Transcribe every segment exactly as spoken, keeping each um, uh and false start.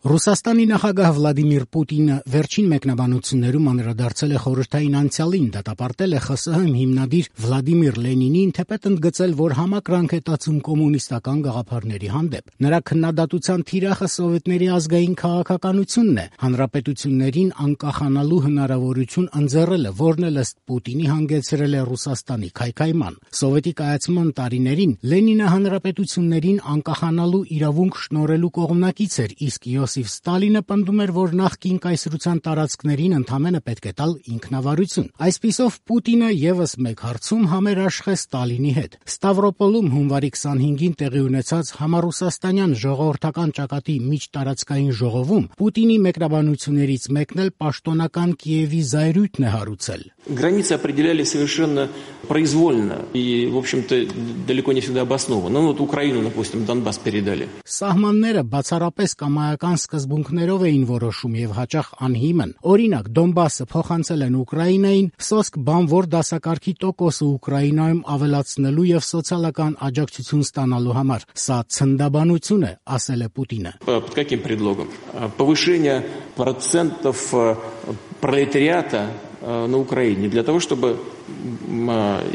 Ռուսաստանի նախագահ Վլադիմիր Պուտինը վերջին մեկնաբանություններում անդրադարձել է խորհրդային անցյալին, դատապարտել է ԽՍՀՄ հիմնադիր Վլադիմիր Լենինին, թեպետ ընդգծել, որ համակրանք է տածում կոմունիստական գաղափարների հանդեպ։ Նրա քննադատության թիրախը սովետների ազգային քաղաքականությունն է, հանրապետություններին անկախանալու հնարավորություն ընձեռելը, որն էլ ըստ Պուտինի հանգեցրել է Ռուսաստանի քայքայման։ Սովետի կայացման տարիներին Լենինը հանրապետություններին անկախանալու իրավունք շնորհելու կողմնակից էր, իսկ Յոսիֆ Ստալինը պնդում էր, որ նախկին կայսրության տարածքներին ընդամենը պետք է տալ ինքնավարություն։ Այսպիսով Պուտինը ևս մեկ հարցում համերաշխ է Ստալինի հետ։ Ստավրոպոլում հունվարի քսանհինգին տեղի ունեցած համառուսաստանյան ժողովրդական ճակատի միջտարածքային ժողովում Պուտինի մեկնաբանություններից մեկն էլ պաշտոնական Կիևի զայրույթն է հարուցել։ Границы определяли совершенно произвольно и, в общем-то, далеко не всегда обоснованно. Ну вот Украину, допустим, Донбасс передали. Սահմանները բացառապես կամայական սկզբունքներով էին որոշում եւ հաճախ անհիմն։ Օրինակ, Դոնբասը փոխանցել են Ուկրաինային, սոսկ բանվոր դասակարգի տոկոսը Ուկրաինայում ավելացնելու եւ սոցիալական աջակցություն ստանալու համար։ Սա ցնդաբանություն է, ասել է Պուտինը։ Под каким предлогом? Повышение процентов пролетариата на Украине для того, чтобы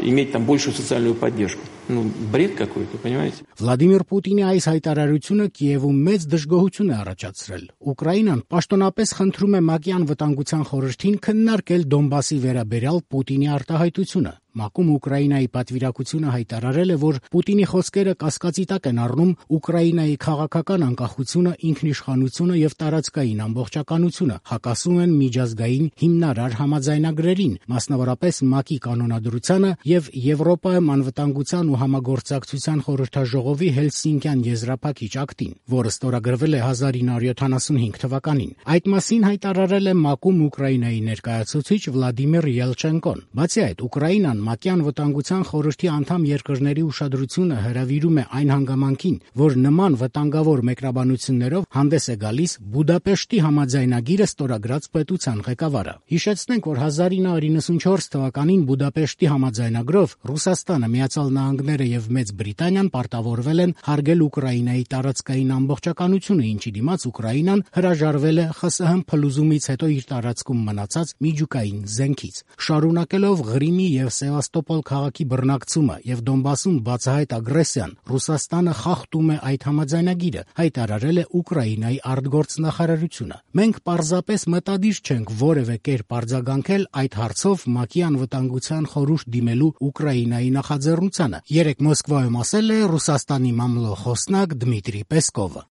иметь там большую социальную поддержку. Ну, бред какой-то, понимаете? Վլադիմիր Պուտինի այս հայտարարությունը Կիևում մեծ դժգոհություն է առաջացրել։ Ուկրաինան պաշտոնապես խնդրում է ՄԱԿ-ի անվտանգության խորհրդին քննարկել Դոնբասի վերաբերյալ Պուտինի արտահայտությունը։ ՄԱԿ-ում Ուկրաինայի պատվիրակությունը հայտարարել է, որ Պուտինի խոսքերը կասկածի տակ են առնում Ուկրաինայի քաղաքական անկախությունը, ինքնիշխանությունը եւ տարածքային ամբողջականությունը, հակասում են միջազգային հիմնարար համաձայնագրերին, մասնավորապես ՄԱԿ-ի կանոնադրությանը եւ Եվրոպայում անվտանգության ու համագործակցության խորհրդաժողովի Հելսինկյան եզրափակիչ ակտին, որը ստորագրվել է հազար ինը հարյուր յոթանասունհինգ թվականին։ Այդ մասին հայտարարել է ՄԱԿ-ում Ուկրաինայի ներկայացուցիչ Վլադիմիր Ելչենկոն։ Բացի այդ, Ուկրաինան ՄԱԿ-ի անվտանգության խորհրդի անդամ երկրների ուշադրությունը հրավիրում է այն հանգամանքին, որ նման վտանգավոր մեկնաբանություններով հանդես է գալիս Բուդապեշտի համաձայնագիրը ստորագրած պետության ղեկավարը։ Հիշեցնենք, որ հազար ինը հարյուր իննսունչորս թվականին Բուդապեշտի համաձայնագրով Ռուսաստանը, Միացյալ Նահանգները եւ Մեծ Բրիտանիան պարտավորվել են հարգել Ուկրաինայի տարածքային ամբողջականությունը, ինչի դիմաց Ուկրաինան հրաժարվել է ԽՍՀՄ փլուզումից հետո իր տարածքում մնացած միջուկային զենքից։ Շարունակելով Ղրիմի եւ Սևաստոպոլ քաղաքի բռնակցումը եւ Դոնբասում բացահայտ ագրեսիան, Ռուսաստանը խախտում է այդ համաձայնագիրը, հայտարարել է Ուկրաինայի արտգործնախարարությունը։ Մենք պարզապես մտադիր չենք որևէ կերպ արձագանքել այդ հարցով ՄԱԿ-ի անվտանգության խորհուրդ դիմելու Ուկրաինայի նախաձեռնությանը, երեկ Մոսկվայում ասել է Ռուսաստանի մամլո խոսնակ Դմիտրի Պեսկովը։